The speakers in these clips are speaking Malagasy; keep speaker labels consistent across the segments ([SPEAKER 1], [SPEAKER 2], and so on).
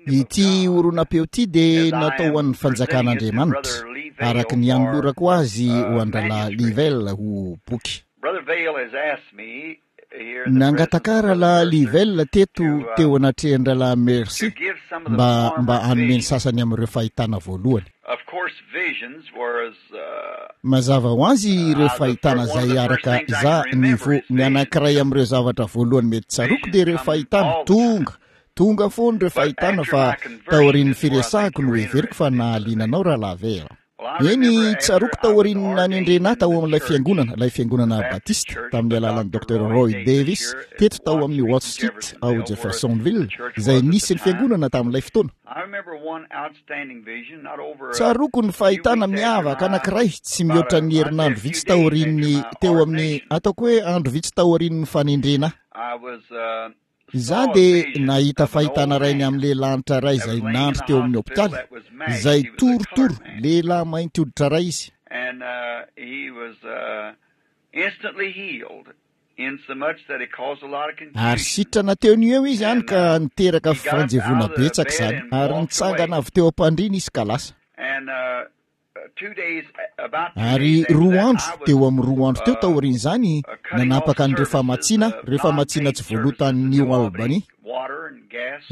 [SPEAKER 1] Ity horonam-peo ity dia natao ho an'ny fanjakan'Andriamanitra, araka ny anolorako azy ho an-drahalahy Livell ho boky. Nangataka ahy Rahalahy Livell teto teo anatrehan-drahalahy Mercy mba mba hanome ny sasany amin'ireo fahitana voalohany. Mazava ho azy ireo fahitana izay araka za ny vo ny anankiray amin'ireo zavatra voalohany mety tsaroako dia ireo fahitana tonga tonga foana ireo fahitana fa taorian'ny firesahako no heveriko fa nahaliana anao rahalahy Vera. Eny, tsaroako taorian'ny nanendrena ahy tao amin'ilay fiangonana, ilay fiangonana Batista, tamin'ny alalan'ny Docteur Roy Davis, teto tao amin'ny Watt Street ao Jeffersonville, izay nisy ny fiangonana tamin'ilay fotoana. Tsaroako ny fahitana miavaka anankiray tsy mihoatra ny herinandro vitsy taorian'ny, teo amin'ny, ataoko hoe andro vitsy taorian'ny fanendrena ahy. Izaho dia nahita fahitana iray ny amin'ny lehilahy antitra iray izay nandry teo amin'ny hopitaly, izay torotoro, lehilahy mainty hoditra iray izy. Ary sitrana teo no eo izy hany ka niteraka fifanjevoana betsaka izany, ary nitsangana avy teo am-pandriana izy ka lasa. Ary roa andro, teo amin'ny roa andro teo taorian'izany, nanapaka an'ireo famatsiana, ireo famatsiana tsy voaloa tany New Albany,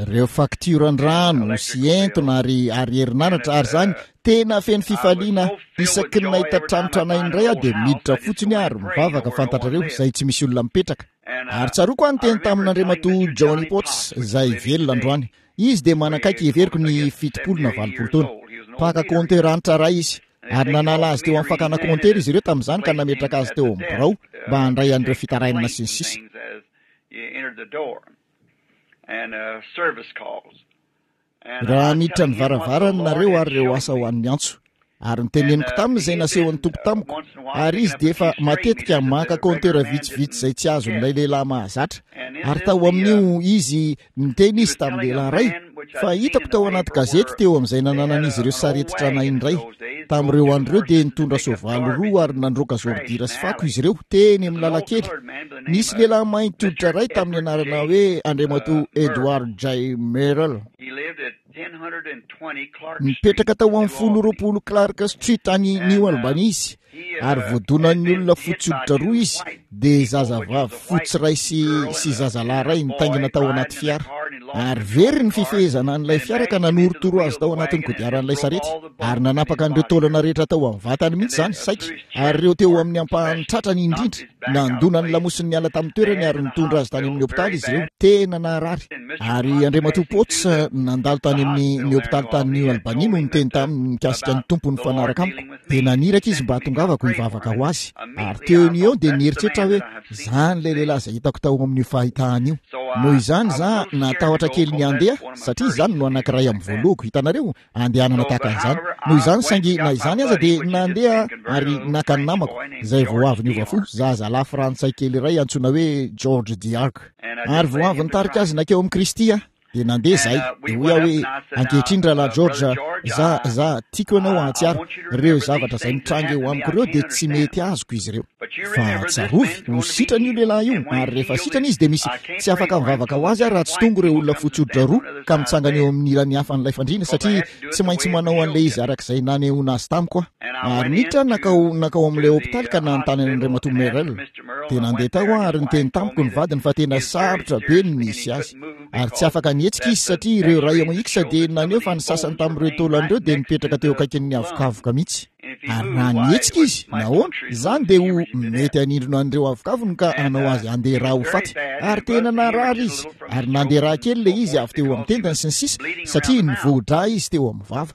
[SPEAKER 1] ireo faktioran-drano sy entona ary, ary herinaratra, ary izany, tena feno fifaliana aho. Isaky ny nahita trano tranainy iray aho dia miditra fotsiny aho ary mivavaka, fantatrareo, izay tsy misy olona mipetraka. Ary tsaroako aho niteny tamin'Andriamatoa Johnny Potts, izay velona androany. Izy dia manakaiky heveriko ny 70 na 80 taona. Mpaka compteur anitra iray izy. Ary nanala azy teo amin'ny fakana compteur izy ireo tamin'izany ka nametraka azy teo amin'ny birao mba handray an'ireo fitarainana sy ny sisa. Raha niditra ny varavarany nareo ary ireo asa ho an'ny antso. Ary noteneniko taminy izay nasehon'ny Tompo tamiko, ary izy dia efa matetika maka compteur vitsivitsy izay tsy azon'ilay lehilahy mahazatra. Ary tao amin'io izy, niteny izy tamin'ny lehilahy iray, fa hitako tao anaty gazety teo amin'izay nananan'izy ireo sarety tranainy iray. Tamin'ireo andro ireo dia nitondra soavaly roa ary nandroaka zôridira sy fako izy ireo, teny amin'ny lalan-kely. Nisy lehilahy mainty hoditra iray tamin'ny anarana hoe Andriamatoa Edward J. Merrill. Nipetraka tao amin'ny 1020 Clark Street any New Albany izy, ary voadonan'ny olona fotsy hoditra roa izy, dia zazavavy fotsy iray sy sy zazalahy iray nitaingina tao anaty fiara. Ary very ny fifehezana an'ilay fiara ka nanorotoro azy tao anatin'ny kodiaran'ilay sarety, ary nanapaka an'ireo taolana rehetra tao amin'ny vatany mihitsy izany, saiky, ary ireo teo amin'ny ampahan'ny tratrany indrindra. Nandona ny lamosiny niala tamin'ny toerany ary nitondra azy tany amin'ny hopitaly izy ireo. Tena naharary. Ary Andriamatoa Potts nandalo tany amin'ny ny hopitaly tany New Albany no niteny taminy mikasika ny Tompo nifanaraka amiko. Dia naniraka izy mba hatongavako hivavaka ho azy. Ary teo no eo dia nieritreritra aho hoe, Izany ilay lehilahy izay hitako tao amin'io fahitana io. Noho izany izaho natahotra kely ny handeha, satria izany no anankiray amin'ny voalohako, hitanareo, andehanana tahaka an'izany. Noho izany, saingy na izany aza dia nandeha aho ary naka ny namako, izay vao avy niova fo, zazalahy frantsay kely iray antsoina hoe George DeArk. Ary vao avy nitarika azy nankeo amin'i Kristy aho. Dia nandeha izahay. Dia hoy aho hoe, Ankehitriny, Rahalahy George, za, za, tiako ianao hahatsiaro, ireo zavatra izay mitranga eo amiko ireo dia tsy mety azoko izy ireo. Fa tsarovy, ho sitrana io lehilahy io, ary rehefa sitrana izy dia misy, tsy afaka mivavaka ho azy aho raha tsy tonga ireo olona fotsy hoditra roa ka mitsangana eo amin'ny ilany hafa an'ilay fandriana, satria tsy maintsy manao an'ilay izy araka izay nanehoana azy tamiko aho. Ary niditra aho nankao, nankao amin'ilay hopitaly ka nanontany an'Andriamatoa Merrell. Dia nandeha tao aho ary niteny tamiko ny vadiny fa tena sarotra be ny nisy azy. Ary tsy afaka nihetsika izy satria ireo rayons X dia naneho fa ny sasany tamin'ireo taolany ireo dia nipetraka teo akaikin'ny avokavoka mihitsy. Ary raha nihetsika izy, nahoana, izany dia ho mety hanindrona an'ireo avokavony ka hanao azy handeha rà ho faty. Ary tena narary izy, ary nandeha rà kely ilay izy avy teo amin'ny tendany sy ny sisa, satria nivoa-drà izy teo amin'ny vava.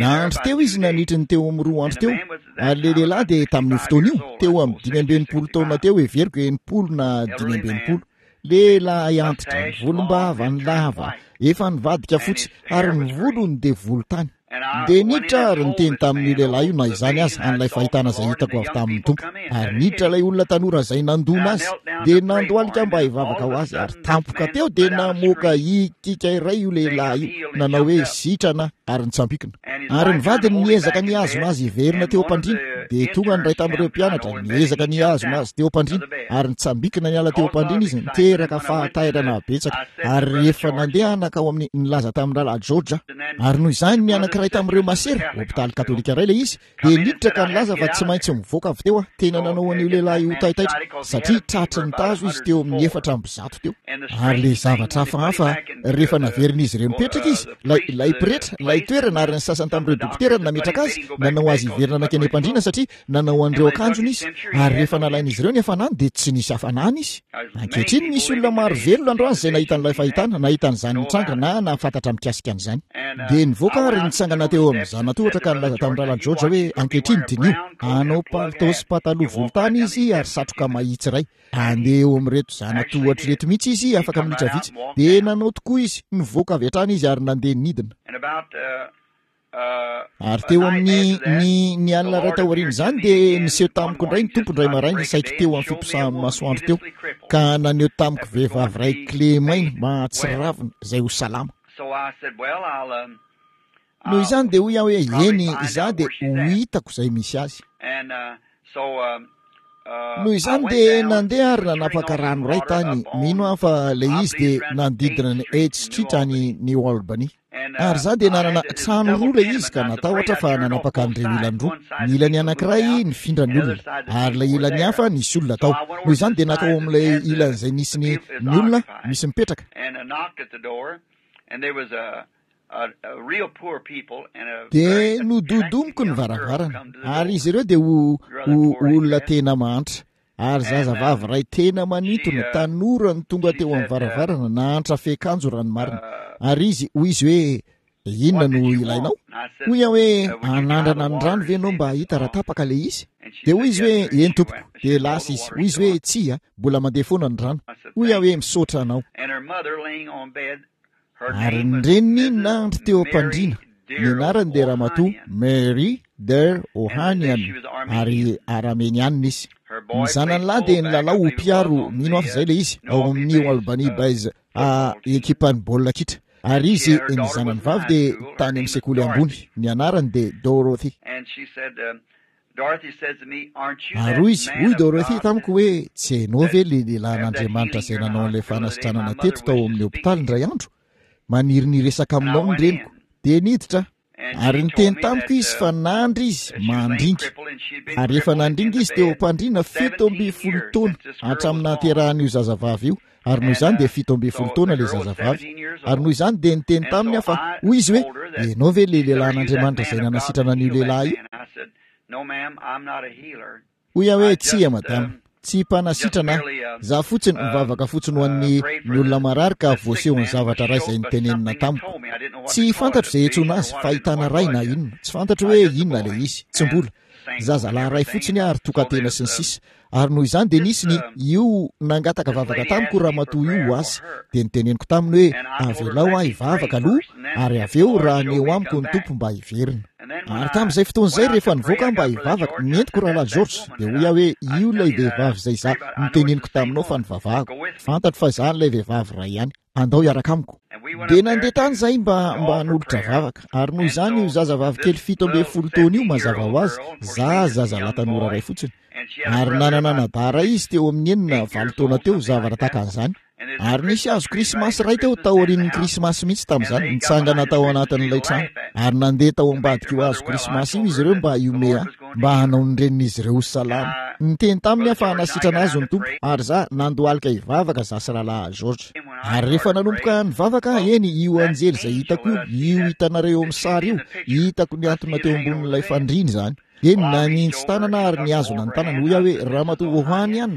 [SPEAKER 1] Nandry teo izy nandritry ny teo amin'ny roa andro teo. Ary ilay lehilahy dia tamin'io fotoana io, teo amin'ny 65 taona teo, heveriko 60 na 65. Lehilahy antitra, ny volombavany lava, efa nivadika fotsy, ary ny volony dia volontany. Dia niditra ary niteny tamin'io lehilahy io na izany aza, an'ilay fahitana izay hitako avy tamin'ny Tompo. Ary niditra ilay olona tanora izay nandona azy, dia nandohalika mba hivavaka ho azy, ary tampoka teo dia namoaka hikiaka iray io lehilahy io, nanao hoe, Sitrana, ary nitsampikina. Ary ny vadiny niezaka nihazona azy hiverina teo am-pandriana. Dia tonga ny iray tamin'ireo mpianatra, niezaka ny hihazona azy teo am-pandriana, ary nitsambikina niala teo am-pandriana izy, niteraka fahatairana betsaka. Ary rehefa nandeha nankao amin'ny, nilaza tamin'ny Rahalahy George aho. Ary noho izany ny anankiray tamin'ireo masera, hopitaly katolika iray ilay izy, dia niditra ka nilaza fa tsy maintsy mivoaka avy teo aho. Tena nanao an'io lehilahy io ho taitaitra, satria tratry ny tazo izy teo amin'ny 104 teo. Ary ilay zavatra hafahafa, rehefa naverin'izy ireo nipetraka izy, ilay, ilay pretra, ilay toerana ary ny sasany tamin'ireo dokotera no nametraka azy, nanao azy hiverina nankeny am-pandriana satria nanao an'ireo akanjony izy. Ary rehefa nalain'izy ireo ny hafanany dia tsy nisy hafanana izy. Ankehitriny misy olona maro velona androany izay nahita an'ilay fahitana, nahita an'izany nitranga na nahafantatra mikasika an'izany. Dia nivoaka ary nitsangana teo amin'ny zanatohatra ka nilaza tamin'ny Rahalahy George hoe, Ankehitriny diniho, hanao palitao sy pataloha volontany izy ary satroka mahitsy iray. Handeha eo amin'ireto zanatohatra ireto mihitsy izy afaka minitra vitsy. Dia nanao tokoa izy, nivoaka avy hatrany izy ary nandeha nidina. Ary teo amin'ny ny ny alina iray taorian'izany dia niseho tamiko indray ny Tompo indray maraina saiky teo amin'ny fiposahan'ny masoandro teo ka naneho tamiko vehivavy iray kilemaina mahatsiravina izay ho salama. Noho izany dia hoy aho hoe eny izaho dia ho hitako izay misy azy. Noho izany dia nandeha ary nanapaka rano iray tany, mino aho fa ilay izy dia nanodidina ny Eighth Street any New Albany. Ary izaho dia nanana trano roa ilay izy ka natahotra fa nanapaka an'ireo ilany roa. Ny ilany anankiray nifindra ny olona, ary ilay ilany hafa nisy olona tao. Noho izany dia nankao amin'ilay ilany izay nisy ny, ny olona misy mipetraka. Dia nododomiko ny varavarana, ary izy ireo dia ho, ho olona tena mahantra. Ary zazavavy iray tena manintona, tanora no tonga teo amin'ny varavarana, nahantra fiakanjo raha ny marina. Ary izy, hoy izy hoe, Inona no ilainao? Hoy aho hoe, Hanandrana ny rano ve ianao mba hahita raha tapaka ilay izy? Dia hoy izy hoe, Eny tompoko. Dia lasa izy. Hoy izy hoe, Tsia, mbola mandeha foana ny rano. Hoy aho hoe, Misaotra anao. Ary ny reniny nandry teo am-pandriana. Ny anarany dia Ramatoa Mary Der Ohanian, ary Aramenianina izy. Ny zanany lahy dia nilalao ho mpiaro, mino aho fa izay ilay izy, ao amin'ny New Albany Bays, a, ekipan'ny baolina kitra. Ary izy, ny zanany vavy dia tany amin'ny sekoly ambony. Ny anarany dia Dorothy. Ary hoy izy, hoy Dorothy tamiko hoe, Tsy hainao ve ilay lehilahin'Andriamanitra izay nanao an'ilay fanasitranana teto tao amin'ny hopitaly indray andro? Maniry ny hiresaka aminao ny reniko. Dia niditra aho. Ary niteny tamiko izy fa nandry izy, mandringa. Ary efa nandringa izy teo am-pandriana 17 taona, hatramin'ny nahaterahan'io zazavavy io. Ary noho izany dia 17 taona ilay zazavavy. Ary noho izany dia niteny taminy aho fa hoy izy hoe, Ianao ve ilay lehilahin'Andriamanitra izay nanasitrana an'io lehilahy io? Hoy aho hoe, Tsia, madama. Tsy mpanasitrana aho. Izaho fotsiny, mivavaka fotsiny ho an'ny, ny olona marary ka voasehon'ny zavatra iray izay notenenina tamiko. Tsy fantatro izay iantsoana azy, fahitana iray na inona. Tsy fantatro hoe inona ilay izy. Tsy mbola. Zazalahy iray fotsiny aho ary tokan-tena sy ny sisa. Ary noho izany dia nisy ny, io nangataka vavaka tamiko io ramatoa io ho azy. Dia noteneniko taminy hoe, Avelao aho hivavaka aloha, ary avy eo raha haneho amiko ny Tompo mba hiverina. Ary tamin'izay fotoana izay rehefa nivoaka aho mba hivavaka, nentiko Rahalahy George, dia hoy aho hoe, Io ilay vehivavy izay izaho noteneniko taminao fa nivavahako. Fantatro fa izaho ilay vehivavy iray ihany. Andao hiaraka amiko. Dia nandeha tany izahay mba, mba hanolotra vavaka. Ary noho izany io zazavavy kely 17 taona io, mazava ho azy, za zazalahy tanora iray fotsiny. Ary nanana anadahy iray izy teo amin'ny enina, valo taona teo, zavatra tahaka an'izany. Ary nisy hazo krismasy iray teo taorian'ny krismasy mihitsy tamin'izany, nitsangana tao anatin'ilay trano. Ary nandeha tao ambadik'io hazo krismasy io izy ireo mba hihomehy ahy, mba hanao ny renin'izy ireo ho salama. Niteny taminy aho fa hanasitrana azy ny Tompo, ary za nandohalika hivavaka za sy Rahalahy George. Ary rehefa nanomboka nivavaka aho, eny, io anjely izay hitako io, io hitanareo eo amin'ny sary io, hitako nihantona teo ambonin'ilay fandriana izany. Eny, naninjy tanana aho ary nihazona ny tanany. Hoy aho hoe, Ramatoa Ohanian.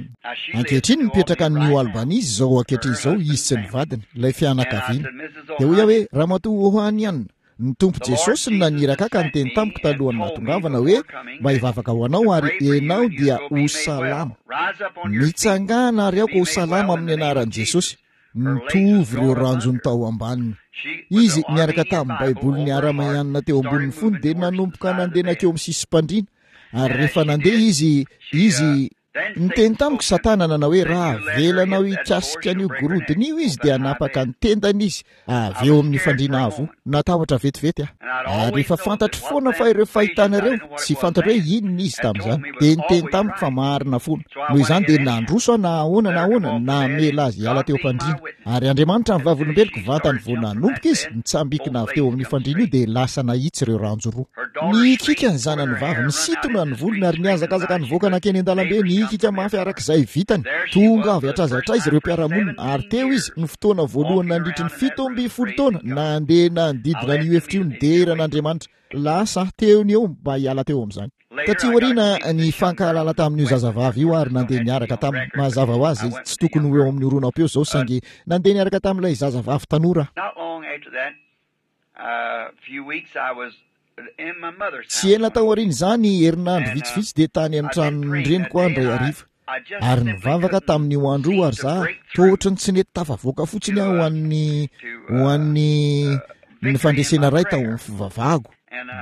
[SPEAKER 1] Ankehitriny mipetraka any New Albany izy izao ankehitriny izao, izy sy ny vadiny, ilay fianakaviana. Dia hoy aho hoe, Ramatoa Ohanian, ny Tompo Jesosy no naniraka ahy ka niteny tamiko talohan'ny nahatongavana hoe mba hivavaka ho anao ary ianao dia ho salama. Mitsangàna ary aoka ho salama amin'ny anaran'i Jesosy. Mitovy ireo ranjony tao ambaniny. Izy, niaraka tamin'ny Baiboliny aramaianina teo ambonin'ny fony, dia nanomboka nandeha nankeo amin'ny sisim-pandriana. Ary rehefa nandeha izy, izy. Niteny tamiko Satana nanao hoe, Raha avelanao hikasika an'io gorodona io izy dia hanapaka ny tendany izy avy eo amin'ny fandriana avo. Natahotra vetivety aho. Ary efa fantatro foana fa ireo fahitana ireo, tsy fantatro hoe inona izy tamin'izany, dia niteny tamiko fa marina foana. Noho izany dia nandroso aho na ahoana na ahoana, namela azy hiala teo am-pandriana. Ary Andriamanitra ny vavolombeloko, vantany vao nanomboka izy, nitsambikina avy teo amin'io fandriana io dia lasa nahitsy ireo ranjo roa. Nihikiaka ny zanany vavy, nisintona ny volony ary nihazakazaka nivoaka nankeny an-dalambe, nihikiaka mafy araka izay vitany. Tonga avy hatraiza hatraiza ireo mpiara-monina, ary teo izy, ny fotoana voalohany nandritry ny 17 taona, nandeha nanodidina an'io efitra io nidera an'Andriamanitra. Lasa teo ny eo mba hiala teo amin'izany. Taty aoriana, nifankahalala tamin'io zazavavy io ary nandeha niaraka taminy. Mazava ho azy, tsy tokony ho eo amin'ny horonam-peo izao, saingy nandeha niaraka tamin'ilay zazavavy tanora aho. Tsy ela taorian'izany, herinandro vitsivitsy, dia tany amin'ny tranon'ny reniko aho indray hariva. Ary nivavaka tamin'io andro io ary za, toa ohatran'ny tsy nety tafavoaka fotsiny aho ho an'ny, ho an'ny, ny fandresena iray tao amin'ny fivavahako.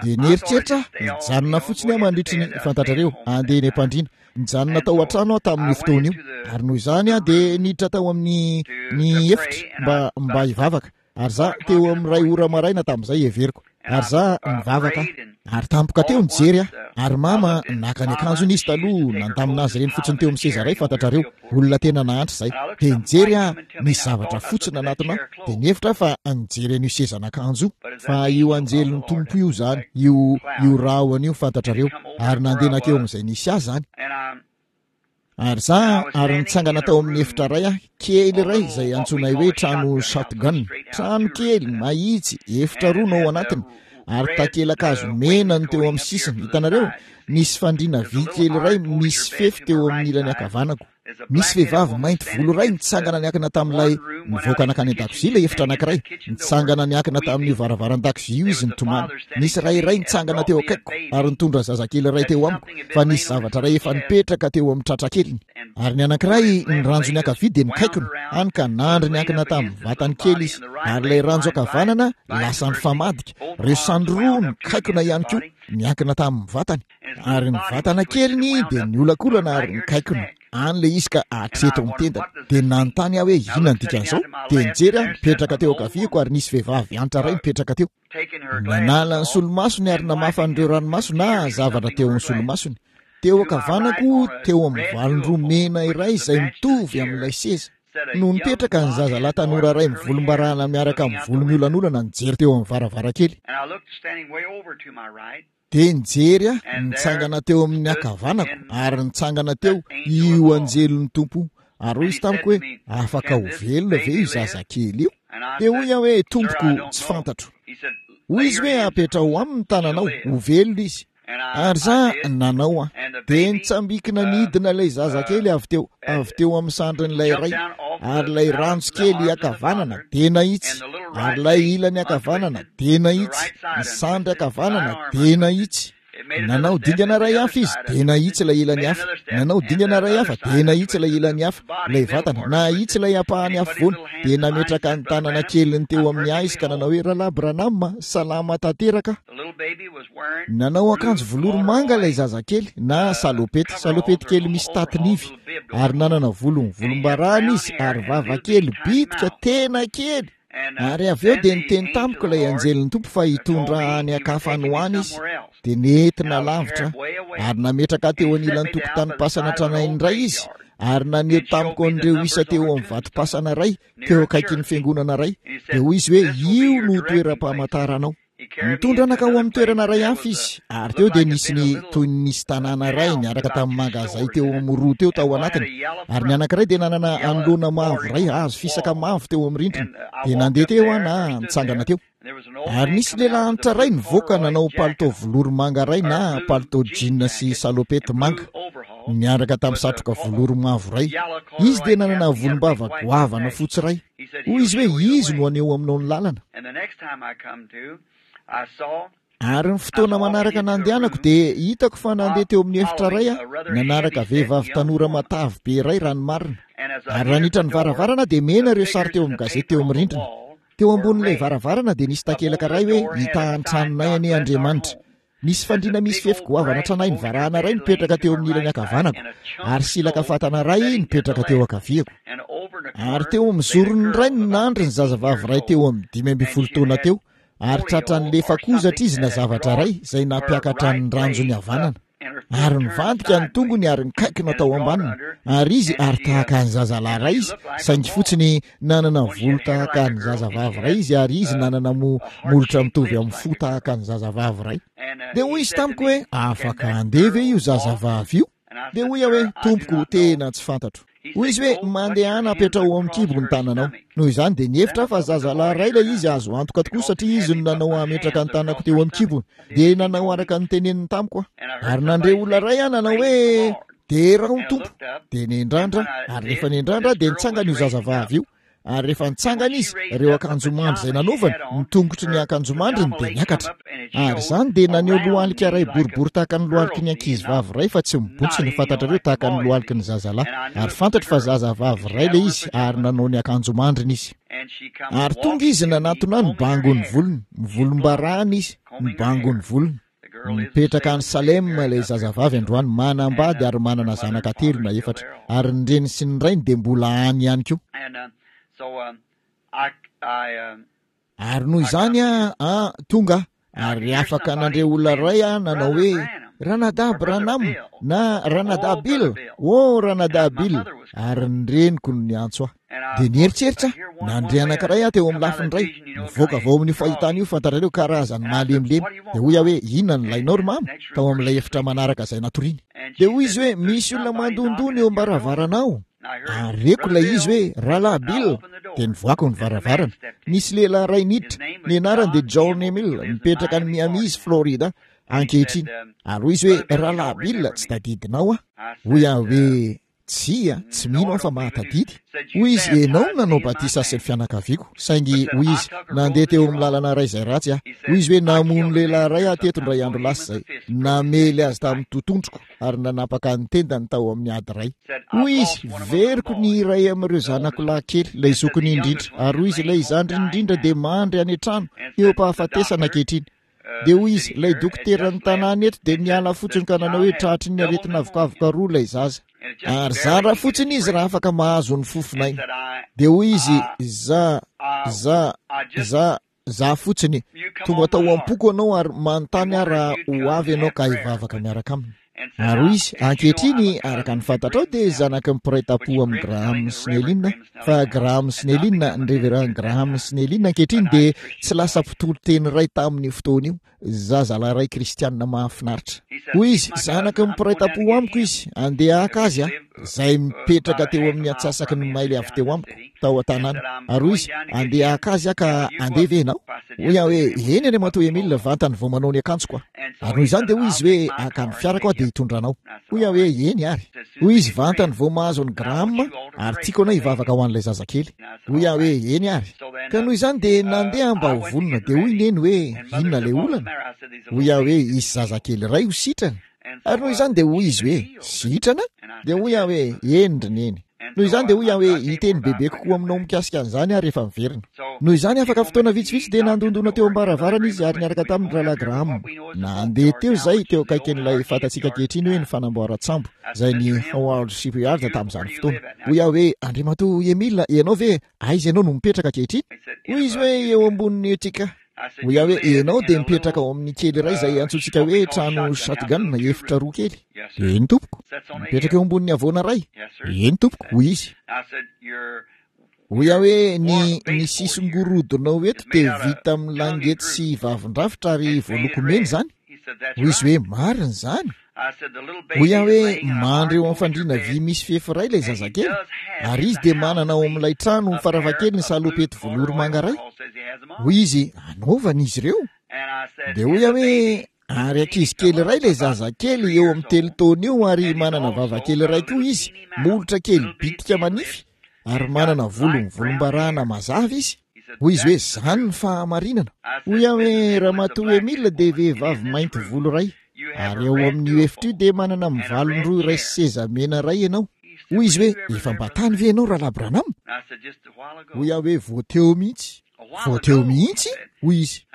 [SPEAKER 1] Dia nieritreritra aho, hijanona fotsiny aho mandritry ny, fantatrareo, handeha eny am-pandriana. Nijanona tao an-trano aho tamin'io fotoana io. Ary noho izany aho dia niditra tao amin'ny, ny efitra mba, mba hivavaka. Ary za, teo amin'ny iray ora maraina tamin'izay, heveriko. Ary za, nivavaka aho. Ary tampoka teo nijery aho. Ary mama, naka ny akanjony izy taloha, nandamina azy ireny fotsiny teo amin'ny seza iray, fantatrareo. Olona tena nahantra izay. Dia nijery aho, nisy zavatra fotsy nanatona ahy. Dia nihevitra aho fa nijery an'io sezan'akanjo io. Fa io Anjelin'ny Tompo io izany, io, io rahona io, fantatrareo. Ary nandeha nankeo amin'izay nisy ahy izany. Ary za, ary nitsangana tao amin'ny efitra iray aho, kely iray izay antsoinay hoe trano shotgun. Trano kely, mahitsy, efitra roa no ao anatiny, ary takelakazo mena no teo amin'ny sisiny. Hitanareo? Nisy fandriana vy kely iray misy fefy teo amin'ny ilany ankavanako. Nisy vehivavy mainty volo iray nitsangana niankina tamin'ilay, nivoaka nankany an-dakozia ilay efitra anankiray. Nitsangana niankina tamin'io varavaran-dakozia io izy nitomany. Nisy ray iray nitsangana teo akaikiko ary nitondra zazakely iray teo amiko. fa nisy zavatra iray efa nipetraka teo amin'ny tratrakeliny. Ary ny anankiray, ny ranjony ankavia dia nikaikona, hany ka nandry niankina tamin'ny vatany kely izy. Ary ilay ranjo ankavanana lasa nifamadika, ireo sandry roa nikaikona ihany koa, niankina tamin'ny vatany. Ary ny vatana keliny dia niolakolana ary nikaikona. Any ilay izy ka hatreto amin'ny tendany. Dia nanontany aho hoe inona ny dikan'izao? Dia nijery aho, nipetraka teo ankaviako ary nisy vehivavy antitra iray nipetraka teo. Nanala ny solomasony ary namafa an'ireo ranomaso na zavatra teo amin'ny solomasony. Teo ankavanako, teo amin'ny valin-droa mena iray izay mitovy amin'ilay seza, no nipetraka ny zazalahy tanora iray mivolombarahana miaraka amin'ny volo miolanolana nijery teo amin'ny varavarankely. Dia nijery aho, nitsangana teo amin'ny ankavanako, ary nitsangana teo io Anjelin'ny Tompo. Ary hoy izy tamiko hoe, Afaka ho velona ve io zazakely io? Dia hoy aho hoe, Tompoko, tsy fantatro. Hoy izy hoe, Apetraho aminy ny tananao, ho velona izy. Ary za, nanao aho. Dia nitsambikina nidina ilay zazakely avy teo, avy teo amin'ny sandrin'ilay ray, ary ilay ranjo kely ankavanana dia nahitsy, ary ilay ilany ankavanana dia nahitsy, ny sandry ankavanana dia nahitsy. Nanao dingana iray hafa izy, dia nahitsy ilay ilany hafa. Nanao dingana iray hafa, dia nahitsy ilay ilany hafa, ilay vatana. Nahitsy ilay ampahany afovoany, dia nametraka ny tanana keliny teo amin'ny ahy izy ka nanao hoe, Rahalahy Branham, salama tanteraka aho. Nanao akanjo velours manga ilay zazakely, na salopety, salopety kely misy tatin'ivy, ary nanana volo mivolombarahana izy, ary vava kely bitika, tena kely. Ary avy eo dia niteny tamiko ilay anjelin'ny Tompo fa hitondra any an-kafa any ho any izy, dia nentina lavitra aho, ary nametraka ahy teo anilan'ny tokotanim-pasana tranainy iray izy, ary naneho tamiko an'ireo isa teo amin'ny vatom-pasana iray, teo akaikin'ny fiangonana iray, dia hoy izy hoe, Io no toeram-pamantaranao. Nitondra nankao amin'ny toerana iray hafa izy, ary teo dia nisy ny, toy ny nisy tanàna iray niaraka tamin'ny mangazay teo amin'ny roa teo tao anatiny, ary ny anankiray dia nanana anoloana mavo iray, hazo fisaka mavo teo amin'ny rindrina. Dia nandeha teo aho na nitsangana teo. Ary nisy lehilahy antitra iray nivoaka nanao palitao velours manga iray na palitao jean sy salopette manga, niaraka tamin'ny satroka velours mavo iray. Izy dia nanana volombava goavana fotsy iray. Hoy izy hoe, Izy no haneho aminao ny lalana. Ary ny fotoana manaraka nandehanako dia hitako fa nandeha teo amin'ny efitra iray aho, nanaraka vehivavy tanora matavy be iray raha ny marina. Ary raha niditra ny varavarana aho dia mena ireo sary teo amin'ny gazety teo amin'ny rindrina. Teo ambonin'ilay varavarana dia nisy takelaka iray hoe, Hitaha ny tranonay anie Andriamanitra. Nisy fandriana misy fefy goavana tranainy varahana iray nipetraka teo amin'ny ilany ankavanako, ary silaka fatana iray nipetraka teo ankaviako. Ary teo amin'ny zorony iray no nandry ny zazavavy iray teo amin'ny 15 taona teo, ary tratran'ny lefakozatra izy na zavatra iray izay nampiakatra ny ranjony havanana. Ary nivadika ny tongony ary nikaikina tao ambaniny, ary izy, ary tahaka ny zazalahy iray izy, saingy fotsiny nanana volo tahaka ny zazavavy iray izy, ary izy nanana mo, molotra mitovy amin'ny fo tahaka ny zazavavy iray. Dia hoy izy tamiko hoe, Afaka handeha ve io zazavavy io? Dia hoy aho hoe, Tompoko, tena tsy fantatro. Hoy izy hoe, Mandehana apetraho ao amin'ny kibo ny tananao. Noho izany dia nihevitra aho fa zazalahy iray ilay izy, azo antoka tokoa satria izy no nanao hametraka ny tanako teo amin'ny kibony. Dia nanao araka ny teneniny tamiko aho. Ary nandre olona iray aho nanao hoe, Derao ny Tompo. Dia nendrandra, ary rehefa nendrandra aho dia nitsangana io zazavavy io. Ary rehefa nitsangana izy, ireo akanjomandry izay nanaovany, ny tongotry ny akanjomandriny dia niakatra. Ary izany dia naneho lohalika iray boribory tahaka ny lohaliky ny ankizivavy iray fa tsy mibontsina, fantatrareo, tahaka ny lohaliky ny zazalahy. Ary fantatro fa zazavavy iray ilay izy, ary nanao ny akanjomandriny izy. Ary tonga izy nanatona ahy nibango ny volony, mivolombarahana izy, nibango ny volony. Mipetraka any Salem ilay zazavavy androany, manambady ary manana zanaka telo na efatra. Ary ny reniny sy ny rainy dia mbola any ihany koa. Ary noho izany aho, tonga aho, ary afaka nandre olona iray aho nanao hoe, Ranadahy Branham, na Ranadahy Bill, oh, Ranadahy Bill, ary ny reniko no niantso ahy. Dia nieritreritra aho, nandre anankiray aho teo amin'ny lafiny iray, nivoaka avy ao amin'io fahitana io, fantatrareo, karazany malemilemy. Dia hoy aho hoe, Inona no ilainao, ry mama? Tao amin'ilay efitra manaraka izay natoriany. Dia hoy izy hoe, Misy olona mandondona eo am-baravaranao. Ary reko ilay izy hoe, Rahalahy Bill! Dia nivoaka ny varavarana. Nisy lehilahy iray niditra. Ny anarany dia John Emil, mipetraka any Miami izy, Florida, ankehitriny. Ary hoy izy hoe, Rahalahy Bill, tsy tadidinao aho. Hoy aho hoe, Tsia, tsy mino aho fa mahatadidy. Hoy izy, Ianao no nanao batisa ahy sy ny fianakaviako. Saingy, hoy izy, nandeha teo amin'ny lalana iray izay ratsy aho. Hoy izy hoe, Namono lehilahy iray aho teto indray andro lasa izay. Namely azy tamin'ny totondroko ary nanapaka ny tendany tao amin'ny ady iray. Hoy izy, Veriko ny iray amin'ireo zanako lahy kely, ilay zokiny indrindra. Ary hoy izy, Ilay zandriny indrindra dia mandry any an-trano, eo am-pahafatesana ankehitriny. Dia hoy izy, ilay dokoteran'ny tanàna eto dia niala fotsiny ka nanao hoe tratry ny aretina avokavoka roa ilay zaza. Ary zara fotsiny izy raha afaka mahazo ny fofon'aina. Dia hoy izy, za, za, za, za fotsiny, tonga tao am-poko ianao ary manontany aho raha ho avy ianao ka hivavaka miaraka aminy. Ary hoy izy, Ankehitriny, araka ny fantatrao, dia zanaky ny mpiray tampo amin'i Graham Snellin aho. Fa Graham Snellin, ny Reverend Graham Snellin ankehitriny dia tsy lasa mpitory teny iray tamin'io fotoana io, zazalahy iray kristiana mahafinaritra. Hoy izy, Zanaky ny mpiray tampo amiko izy, andeha haka azy aho, izay mipetraka teo amin'ny antsasaky ny maily avy teo amiko, tao an-tanàna. Ary hoy izy, Andeha haka azy aho ka handeha ve ianao? Hoy aho hoe, Eny, Andriamatoa Emile, vantany vao manao ny akanjoko aho. Ary noho izany dia hoy izy hoe, Haka ny fiarako aho dia hitondra anao. Hoy aho hoe, Eny ary. Hoy izy, Vantany vao mahazo an'i Graham, ary tiako ianao hivavaka ho an'ilay zazakely. Hoy aho hoe, Eny ary. Ka noho izany dia nandeha aho mba ho vonona. Dia hoy Neny hoe, Inona ilay olana? Hoy aho hoe, Hisy zazakely iray ho sitrana. Ary noho izany dia hoy izy hoe, Sitrana? Dia hoy aho hoe, Eny ry Neny. Noho izany dia hoy aho hoe, Hiteny bebe kokoa aminao mikasika an'izany aho rehefa miverina. Noho izany, afaka fotoana vitsivitsy dia nandondona teo am-baravarana izy ary niaraka taminy Rahalahy Graham. Nandeha teo izay, teo akaikin'ilay fantatsika ankehitriny hoe ny fanamboaran-tsambo, izay ny Howard Shipyard tamin'izany fotoana. Hoy aho hoe, Andriamatoa Emil, ianao ve, aiza ianao no mipetraka ankehitriny? Hoy izy hoe, Eo ambonin'ny Utica. Hoy aho hoe, Ianao dia mipetraka ao amin'ny kely iray izay antsointsika hoe trano shotgun, efitra roa kely. Eny, tompoko. Mipetraka eo ambonin'ny havoana iray. Eny, tompoko, hoy izy. Hoy aho hoe, Ny, ny sisin-gorodonao eto dia vita amin'ny langety sy vavin-drafitra ary voaloko mena izany. Hoy izy hoe, Marina izany. Hoy aho hoe, Mandry eo amin'ny fandriana vy misy fefy iray ilay zazakely, ary izy dia manana ao amin'ilay trano farafahakeliny salopety velours manga iray. Hoy izy, Anaovana izy ireo. Dia hoy aho hoe, Ary ankizy kely iray ilay zazakely eo amin'ny telo taona eo ary manana vava kely iray koa izy, molotra kely bitika manify, ary manana volo mivolombarahana mazava izy. Hoy izy hoe, Izany ny fahamarinana. Hoy aho hoe, Ramatoa Emile dia vehivavy mainty volo iray, ary ao amin'io efitra io dia manana mivalon-droa iray sy seza mena iray ianao. Hoy izy hoe, Efa mba tany ve ianao, Rahalahy Branham? Hoy aho hoe, Vao teo mihitsy. Vao teo mihitsy? Hoy izy.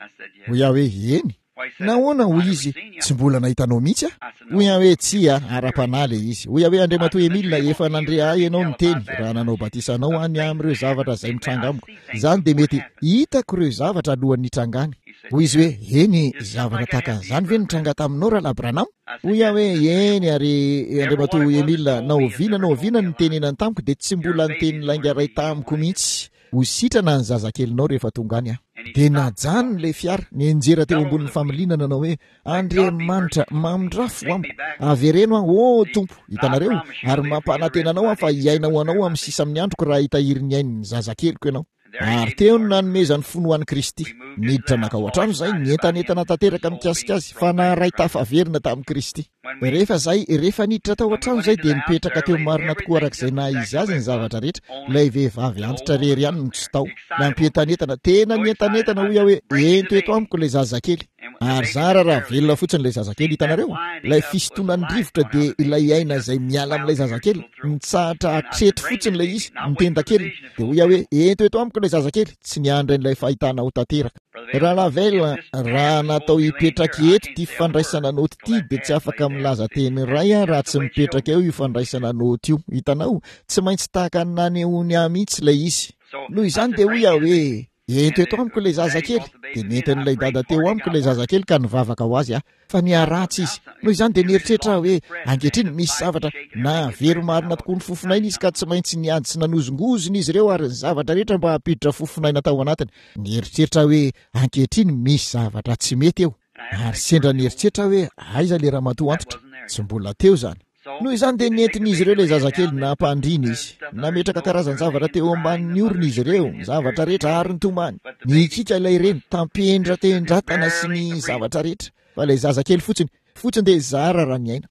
[SPEAKER 1] Hoy aho hoe, Eny. Nahoana, hoy izy, tsy mbola nahita anao mihitsy aho. Hoy aho hoe, Tsia, ara-panahy ilay izy. Hoy aho hoe, Andriamatoa Emil, efa nandre ahy ianao niteny, raha nanao batisa anao aho ny amin'ireo zavatra izay mitranga amiko. Izany dia mety, hitako ireo zavatra alohan'ny hitrangany. Hoy izy hoe, Eny, zavatra tahaka an'izany ve nitranga taminao, Rahalahy Branham? Hoy aho hoe, Eny, ary, Andriamatoa Emil, na oviana na oviana no nitenenany tamiko dia tsy mbola niteny lainga iray tamiko mihitsy. Ho sitrana ny zazakelinao rehefa tonga any aho. Dia najanony ilay fiara, nianjera teo ambonin'ny familiana nanao hoe, Andriamanitra, mamindrafo amiko, avereno aho, oh Tompo, hitanareo, ary mampanantena anao aho fa hiaina ho anao amin'ny sisa amin'ny androko raha hitahiry ny ain'ny zazakeliko ianao. Ary teo no nanomezany fony ho an'i Kristy. Niditra nankao an-trano izahay, nientanentana tanteraka mikasika azy, fa naharay tafaverina tamin'i Kristy. Rehefa izay, rehefa niditra tao an-trano izay dia nipetraka teo marina tokoa araka izay naha-izy azy ny zavatra rehetra, ilay vehivavy antitra irery ihany no tsy tao. Nampientanentana, tena nientanentana hoy aho hoe, ento eto amiko ilay zazakely. Ary zara raha velona fotsiny ilay zazakely, hitanareo? Ilay fisintonan'ny rivotra dia ilay aina izay miala amin'ilay zazakely, mitsahatra hatreto fotsiny ilay izy, ny tendakeliny. Dia hoy aho hoe, ento eto amiko ilay zazakely, tsy niandry an'ilay fahitana ho tanteraka. Rahalahy Vayle, raha natao hipetraka eto ity fandraisana naoty ity dia tsy afaka milaza teny iray aho raha tsy mipetraka eo io fandraisana naoty io. Hitanao? Tsy maintsy tahaka ny nanehoany ahy mihitsy ilay izy. Noho izany dia hoy aho hoe, Ento eto amiko ilay zazakely. Dia nentin'ilay dada teo amiko ilay zazakely ka nivavaka ho azy aho. Fa niharatsy izy. Noho izany dia nieritreritra aho hoe, Ankehitriny, misy zavatra nahavery marina tokoa ny fofonaina izy ka tsy maintsy niady sy nanozongozona izy ireo ary ny zavatra rehetra mba hampiditra fofonaina tao anatiny. Nieritreritra aho hoe, Ankehitriny, misy zavatra tsy mety eo. Ary sendra nieritreritra aho hoe, Aiza ilay ramatoa antitra? Tsy mbola teo izany. Noho izany dia nentin'izy ireo ilay zazakely nampandriana izy. Nametraka karazan-javatra teo ambanin'ny orony izy ireo, ny zavatra rehetra, ary nitomany. Nihikiaka ilay reny, tampendratendratana sy ny zavatra rehetra. Fa ilay zazakely fotsiny, fotsiny dia zara raha niaina.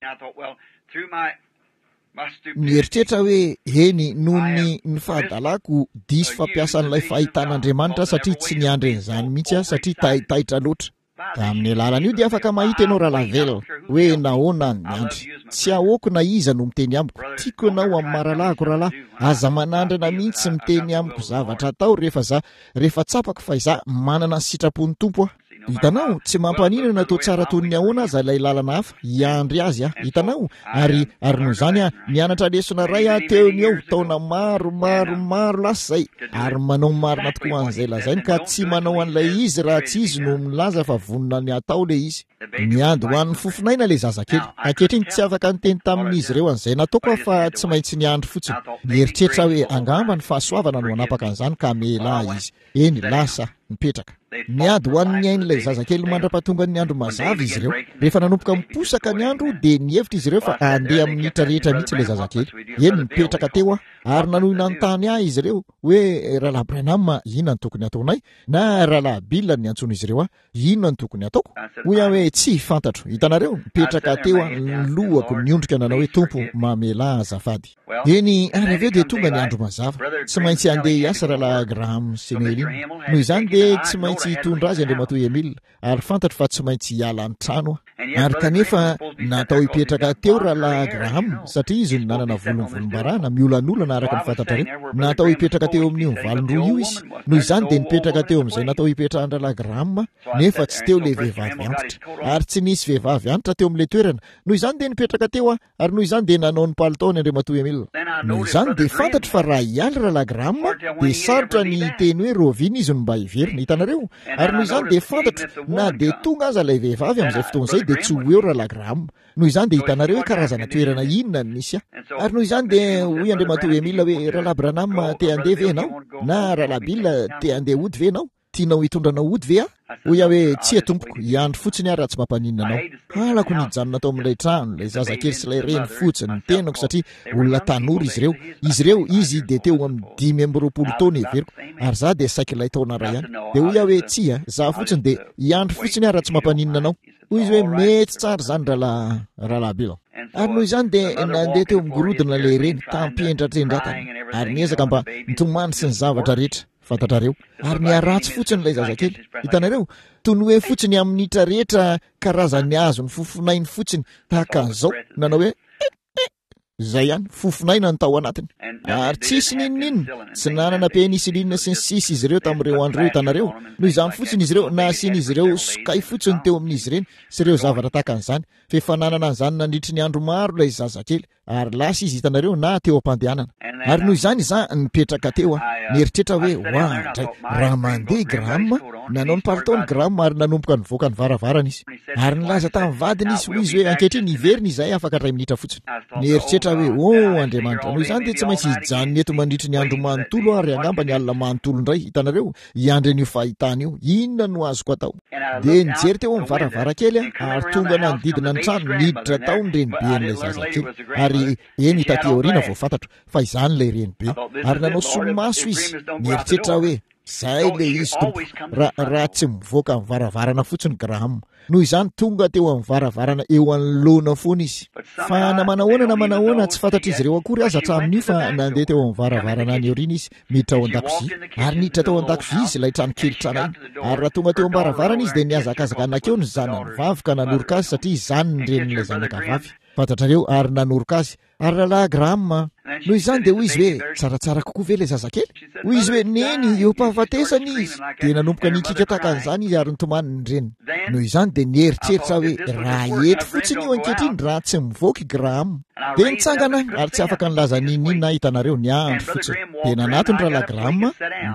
[SPEAKER 1] Nieritreritra aho hoe, Eny, noho ny, ny fahadalako, diso fampiasa an'ilay fahitan'Andriamanitra aho satria tsy niandry an'izany mihitsy aho satria taitaitra loatra. Amin'ny alalan'io dia afaka mahita ianao Ralavelle hoe nahoana ny miandry. Tsy ahoako na iza no miteny amiko. Tiako ianao amin'ny maha rahalahiko rahalahy. Aza manandrana mihitsy miteny amiko zavatra atao rehefa za rehefa tsapako fa izaho manana ny sitrapon'ny Tompo aho. Hitanao? Tsy mampaninona na toa tsara toy ny ahoana aza ilay lalana hafa, hiandry azy aho. Hitanao? Ary, ary noho izany aho, nianatra lesona iray aho teo no eo, taona maro, maro, maro lasa izay, ary manao marina tokoa an'izay lazainy ka tsy manao an'ilay izy raha tsy izy no milaza fa vonona ny hatao ilay izy. Niady ho an'ny fofon'aina ilay zazakely. Ankehitriny tsy afaka niteny tamin'izy ireo an'izay nataoko aho fa tsy maintsy niandry fotsiny. Nieritreritra aho hoe angamba ny fahasoavana no hanapaka an'izany ka hamela ahy izy. Eny, lasa nipetraka. Niady ho an'ny ain'ilay zazakely mandra-pahatongan'ny andro mazava izy ireo. Rehefa nanomboka miposaka ny andro, dia nihevitra izy ireo fa handeha amin'ny minitra rehetra mihitsy ilay zazakely. Eny, nipetraka teo aho, ary nanohy nanontany ahy izy ireo hoe, Rahalahy Branham, inona no tokony hataonay? Na, Rahalahy Bill no niantsoan'izy ireo ahy. Inona no tokony hataoko? Hoy aho hoe, Tsia, fantatro. Hitanareo? Nipetraka teo aho, ny lohako niondrika nanao hoe, Tompo, mamelà ahy azafady. Eny, ary avy eo dia tonga ny andro mazava. Tsy maintsy handeha hiasa Rahalahy Graham Snelling. Noho izany dia tsy maintsy hitondra azy Andriamatoa Emil, ary fantatro fa tsy maintsy hiala ny trano aho. Ary kanefa natao hipetraka teo Rahalahy Graham, satria izy no nanana volo mivolombarana, miolanolana araka ny fantatrareo. Natao hipetraka teo amin'io mivalon-droa io izy. Noho izany dia nipetraka teo amin'izay natao hipetrahan-dRahalahy Graham aho, nefa tsy teo ilay vehivavy antitra. Ary tsy nisy vehivavy antitra teo amin'ilay toerana. Noho izany dia nipetraka teo aho. Ary noho izany dia nanao ny palitaony Andriamatoa Emil. Noho izany dia fantatro fa raha hiala Rahalahy Graham dia sarotra ny hiteny hoe rahoviana izy no mba hiverina. Hitanareo? Ary noho izany dia fantatro na dia tonga aza ilay vehivavy amin'izay fotoana izay dia tsy ho eo Rahalahy Graham. Noho izany dia hitanareo hoe karazana toerana inona no nisy ahy. Ary noho izany dia hoy Andriamatoa Emil hoe, Rahalahy Branham, te handeha ve ianao? Na Rahalahy Bill, te handeha hody ve ianao? Tianao hitondra anao hody ve aho? Hoy aho hoe, Tsia tompoko, hiandry fotsiny aho raha tsy mampaninona anao. Halako ny hijanona tao amin'ilay trano, ilay zazakely sy ilay reny fotsiny, ny tenako, satria olona tanora izy ireo. Izy ireo, izy dia teo amin'ny 25 taona heveriko, ary izaho dia saiky ilay taona iray ihany. Dia hoy aho hoe, Tsia, izaho fotsiny dia hiandry fotsiny aho raha tsy mampaninona anao. Hoy izy hoe, Mety tsara izany, Rahalahy, Rahalahy Bill. Ary noho izany dia nandeha teo amin'ny gorodona ilay reny, tamim-pihendratendratana, ary niezaka mba nitomany sy ny zavatra rehetra. Fantatrareo. Ary niharatsy fotsiny ilay zazakely. Hitanareo? Toy ny hoe fotsiny amin'ny minitra rehetra karazan'ny azon'ny fofonainy fotsiny, tahaka an'izao, nanao hoe, Eh! Eh! Izay ihany, fofon'aina no tao anatiny. Ary tsisy n'inon'inona, tsy nanana penicilline sy ny sisa izy ireo tamin'ireo andro ireo, hitanareo. Noho izany fotsiny izy ireo, nasian'izy ireo sokay fotsiny teo amin'izy ireny, sy ireo zavatra tahaka an'izany. Fa efa nanana an'izany nandritry ny andro maro ilay zazakely. Ary lasa izy, hitanareo, na teo am-pandehanana. Ary noho izany izaho nipetraka teo aho, nieritreritra hoe, Oadray, raha mandeha i Graham! Nanao ny palitaony Graham ary nanomboka nivoaka ny varavarana izy. Ary nilaza tamin'ny vadiny izy, hoy izy hoe, Ankehitriny, hiverina izahay afaka iray minitra fotsiny. Nieritreritra aho hoe, Oh, Andriamanitra! Noho izany dia tsy maintsy hijanona eto mandritry ny andro manontolo aho ary angamba ny alina manontolo indray, hitanareo, hiandry an'io fahitana io. Inona no azoko atao? Dia nijery teo amin'ny varavarankely aho, ary tonga nanodidina ny trano, niditra tao ny reniben'ilay zazakely. Ary, eny, taty aoriana vao fantatro fa izany ilay renibe. Ary nanao solomaso izy. Nieritreritra aho hoe, Izay ilay izy, Tompo. Raha, raha tsy mivoaka ny varavarana fotsiny Graham. Noho izany, tonga teo amin'ny varavarana eo anoloana foana izy. Fa na manahoana na manahoana, tsy fantatr'izy ireo akory aza hatramin'io fa nandeha teo amin'ny varavarana any aoriana izy, miditra ao an-dakozia. Ary niditra tao an-dakozia izy, ilay trano kely tranainy. Ary raha tonga teo am-baravarana izy, dia nihazakazaka nankeo ny zanany vavy ka nanoroka azy, satria izany ny renin'ilay zanaka vavy. Fantatrareo, ary nanoroka azy. Ary Rahalahy Graham a! Noho izany dia hoy izy hoe, Tsaratsara kokoa ve ilay zazakely? Hoy izy hoe, Neny, eo am-pahafatesana izy. Dia nanomboka nikiaka tahaka an'izany izy ary nitomany ny reniny. Noho izany dia nieritreritra aho hoe, Raha eto fotsiny io ankehitriny, raha tsy mivoaka i Graham. Dia nitsangana aho, ary tsy afaka nilaza n'inon'inona aho, hitanareo, niandry fotsiny. Dia nanatona Rahalahy Graham,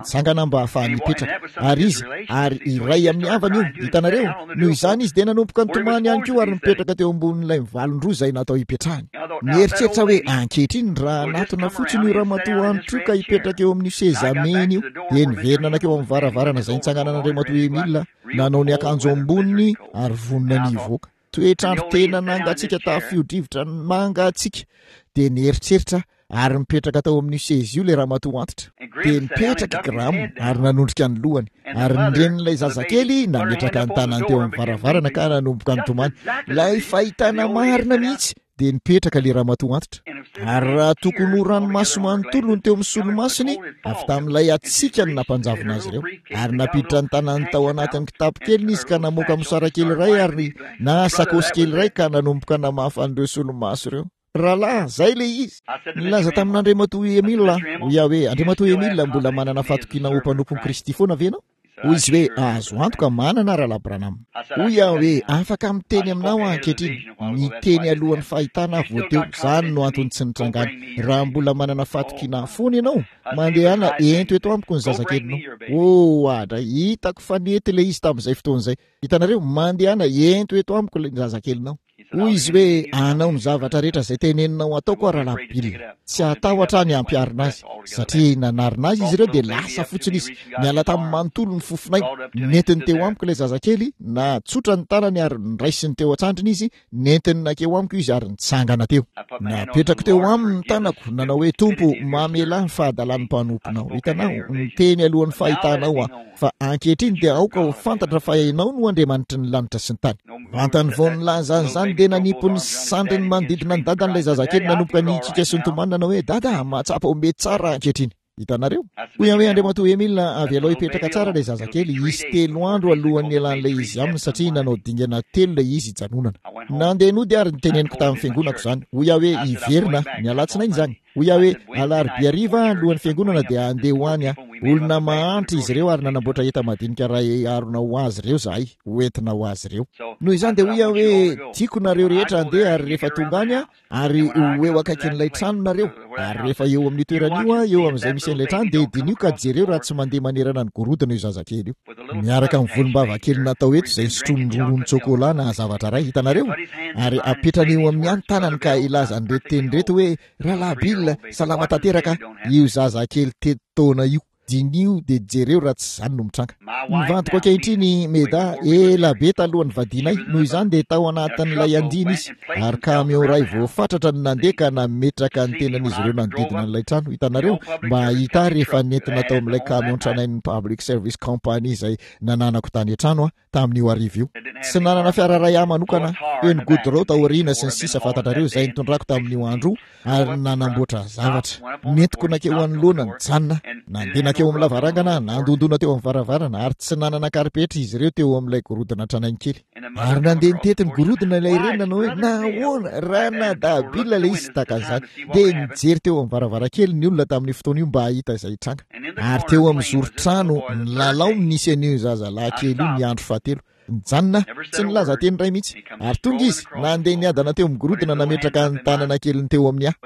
[SPEAKER 1] nitsangana mba hahafahany hipetraka. Ary izy, ary iray amin'ny havany io, hitanareo? Noho izany izy dia nanomboka nitomany ihany koa ary nipetraka teo ambonin'ilay mivalon-droa izay natao hipetrahany. Nieritreritra hoe, Ankehitriny, raha hanatona fotsiny io ramatoa antitra io ka hipetraka eo amin'io seza mena io. Dia niverina nankeo amin'ny varavarana izay nitsanganan'Andriamatoa Emile aho, nanao ny akanjo amboniny ary vonona ny hivoaka. Toetr'andro tena nangatsiaka tafio-drivotra mangatsiaka. Dia nieritreritra aho, ary nipetraka tao amin'io seza io ilay ramatoa antitra. Dia nipetraka i Graham ary nanondrika ny lohany. Ary ny renin'ilay zazakely nametraka ny tanany teo amin'ny varavarana ka nanomboka nitomany. Ilay fahitana marina mihitsy! Dia nipetraka ilay ramatoa antitra. Ary raha tokony ho ranomaso manontolo no teo amin'ny solomasony, avy tamin'ilay hatsiaka no nampanjavona azy ireo. Ary nampiditra ny tanany tao anatin'ny kitapo keliny izy ka namoaka mosara kely iray ary na sakaosy kely iray ka nanomboka namafa an'ireo solomaso ireo. Rahalahy, izay ilay izy. Nilaza tamin'Andriamatoa Emile aho. Hoy aho hoe, Andriamatoa Emile, mbola manana fahatokiana ho mpanompon'i Kristy foana ve ianao? Hoy izy hoe, Azo antoka, manana, Rahalahy Branham. Hoy aho hoe, Afaka miteny aminao aho ankehitriny. Niteny alohan'ny fahitana aho vao teo. Izany no antony tsy nitrangany. Raha mbola manana fahatokiana ahy foana ianao, mandehana ento eto amiko ny zazakelinao. Oh, adray, hitako fa nety ilay izy tamin'izay fotoana izay. Hitanareo? Mandehana ento eto amiko ilay zazakelinao. Hoy izy hoe, Hanao ny zavatra rehetra izay teneninao hataoko aho, Rahalahy Bill. Tsy hatahotra aho ny hampiharina azy. Satria nanarina azy izy ireo dia lasa fotsiny izy. Niala tamin'ny manontolo ny fofon'ainy. Nentiny teo amiko ilay zazakely, natsotra ny tanany ary noraisiny teo an-tsandriny izy, nentiny nankeo amiko izy ary nitsangana teo. Napetrako teo aminy ny tanako, nanao hoe, Tompo, mamelà ny fahadalan'ny mpanomponao. Hitanao, niteny alohan'ny fahitanao aho. Fa ankehitriny dia aoka ho fantatra fa Ianao no Andriamanitry ny lanitra sy ny tany. Vantany vao nilaza an'izany dia nanipy ny sandriny manodidina ny dadany ilay zazakely nanomboka nihikiaka sy nitomany nanao hoe, Dada, mahatsapa ho mety tsara aho ankehitriny. Hitanareo? Hoy aho hoe, Andriamatoa Emil, avelao hipetraka tsara ilay zazakely, hisy telo andro alohan'ny hialan'ilay izy aminy satria nanao dingana telo ilay izy hijanonana. Nandeha nody ary noteneniko tamin'ny fiangonako izany. Hoy aho hoe, Hiverina aho. Ny alatsinainy izany. Hoy aho hoe, Alarobia hariva alohan'ny fiangonana dia handeha ho any aho. Olona mahantra izy ireo ary nanamboatra enta-madinika iray harona ho azy ireo izahay, ho entina ho azy ireo. Noho izany dia hoy aho hoe, Tiako nareo rehetra handeha ary rehefa tonga any aho, ary ho eo akaikin'ilay trano nareo. Ary rehefa eo amin'io toerana io aho, eo amin'izay misy an'ilay trano, dia diniho ka jereo raha tsy mandeha manerana ny gorodona io zazakely io. Miaraka amin'ny volombava kely natao eto izay sotroiny rononon-tsôkôlà na zavatra iray, hitanareo? Ary apetrany eo amin'ny ahy ny tanany ka hilaza an'ireto teny ireto hoe, Rahalahy Bill, salama tanteraka io zazakely telo taona io. Diniho dia jereo raha tsy izany no mitranga. Ny vadiko ankehitriny, Meda, ela be talohan'ny vadianay, noho izany dia tao anatin'ilay andiany izy, ary kamiao iray voafatratra no nandeha ka nametraka ny tenan'izy ireo nanodidina an'ilay trano, hitanareo, mba hahita ahy rehefa nentina tao amin'ilay kamiao tranain'ny Public Service Company izay nananako tany an-trano aho. tamin'io hariva io. Tsy nanana fiara iray ahy manokana aho, feno godorao taoriana sy ny sisa fantatrareo izay nitondrako tamin'io andro io ary nanamboatra zavatra. Nentiko nankeo anoloana nijanona, nandeha nankeo. Nankeo amin'ny lavarangana aho, nandondona teo amin'ny varavarana, ary tsy nanana karipetra izy ireo teo amin'ilay gorodona tranainy kely. Ary nandeha nitety ny gorodona ilay reny nanao hoe, Nahoana, Ranadahy Bill ilay izy, tahaka an'izany. Dia nijery teo amin'ny varavarankely ny olona tamin'io fotoana io mba hahita izay hitranga. Ary teo amin'ny zoron-trano nilalao no nisy an'io zazalahy kely io ny andro fahatelo. Nijanona aho, tsy nilaza teny iray mihitsy. Ary tonga izy, nandeha niadana teo amin'ny gorodona nametraka ny tanana keliny teo amin'ny ahy.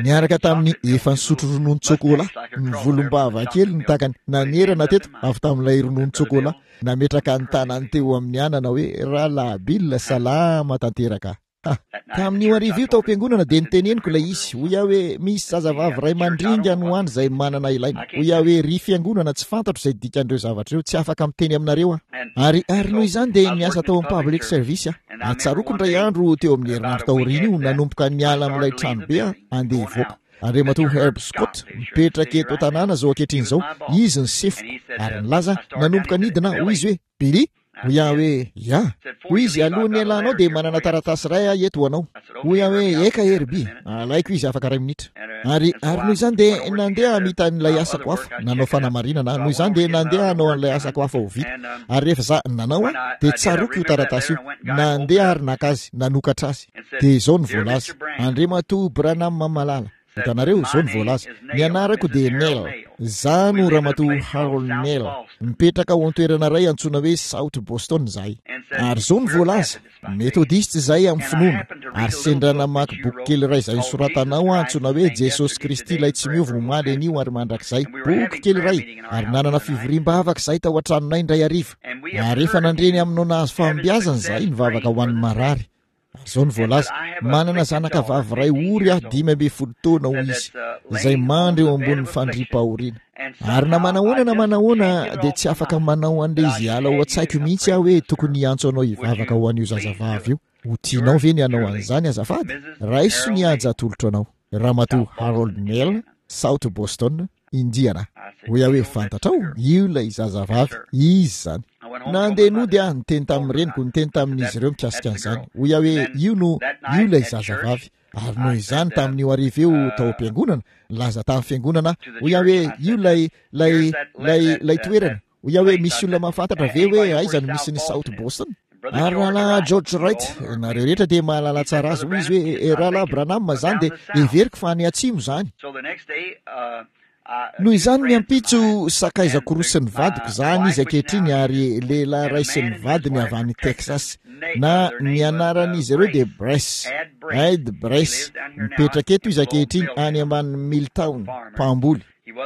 [SPEAKER 1] Niaraka tamin'ny efa nisotro rononon-tsôkôlà, ny volombava kely ny takany, nanerana teto avy tamin'ilay rononon-tsôkôlà. Nametraka ny tanany teo amin'ny ahy nanao hoe, Rahalahy Bill, salama tanteraka. Ha! Tamin'io hariva io tao am-piangonana dia noteneniko ilay izy. Hoy aho hoe, Misy zazavavy iray mandringa any ho any izay manana ilaina. Hoy aho hoe, Ry fiangonana, tsy fantatro izay dikan'ireo zavatra ireo. Tsy afaka miteny aminareo aho. Ary, ary noho izany dia niasa tao amin'ny Public Service aho. Ary tsaroako indray andro teo amin'ny herinandro taorian'io, nanomboka niala amin'ilay tranobe aho, handeha hivoaka. Andriamatoa Herb Scott, mipetraka eto an-tanàna izao ankehitriny izao, izy ny sefoko. Ary nilaza, nanomboka nidina aho, hoy izy hoe, Billy? Hoy aho hoe, Ya. Hoy izy, Alohan'ny hialanao dia manana taratasy iray aho eto ho anao. Hoy aho hoe, Eka, Herbie. Alaiko izy afaka iray minitra. Ary, ary noho izany dia nandeha hamita an'ilay asako hafa, nanao fanamarinana aho. Noho izany dia nandeha hanao an'ilay asako hafa ho vita. Ary rehefa za, nanao aho, dia tsaroako io taratasy io. Nandeha ary naka azy, nanokatra azy. Dia izao no voalaza, Andriamatoa Branham malala. Hitanareo, izao no voalaza, Ny anarako dia Neil. Izaho no Ramatoa Harold Neil. Mipetraka ao an-toerana iray antsoina hoe South Boston izahay. Ary izao no voalaza, Metodista izahay amin'ny finoana, ary sendra namaky boky kely iray izay nosoratanao aho antsoina hoe Jesosy Kristy Ilay Tsy Miova Omaly, Anio ary Mandrakizay. Boky kely iray. Ary nanana fivoriam-bavaka izahay tao an-tranonay indray hariva. Ary efa nandre ny aminao nahazo fahombiazana izahay nivavaka ho an'ny marary. Ary izao no voalaza, Manana zanaka vavy iray ory aho 15 taona, hoy izy, izay mandry eo ambonin'ny fandriam-pahoriana. Ary na manahoana na manahoana, dia tsy afaka manao an'ilay izy hiala ao an-tsaiko mihitsy aho hoe tokony hiantso anao hivavaka ho an'io zazavavy io. Ho tianao ve ny hanao an'izany azafady? Raiso ny haja atolotro anao. Ramatoa Harold Neal, South Boston, Indiana. Hoy aho hoe, Fantatrao, io ilay zazavavy. Izy izany. Nandeha nody aho, niteny tamin'ny reniko, niteny tamin'izy ireo mikasika an'izany. Hoy aho hoe, Io no, io ilay zazavavy. Ary noho izany, tamin'io hariva io tao am-piangonana, nilaza tamin'ny fiangonana aho. Hoy aho hoe, Io ilay, ilay, ilay, ilay toerana. Hoy aho hoe, Misy olona mahafantatra ve hoe aiza no misy ny South Boston? Ary Rahalahy George Wright, nareo rehetra dia mahalala tsara azy, hoy izy hoe, Rahalahy Branham, izany dia heveriko fa any atsimo izany. Noho izany ny ampitso, sakaizako roa sy ny vadiko, izany izy ankehitriny, ary lehilahy iray sy ny vadiny avy any Texas. Na, ny anaran'izy ireo dia Brace, Ed Brace. Mipetraka eto izy ankehitriny, any ambanin'i Milltown, mpamboly.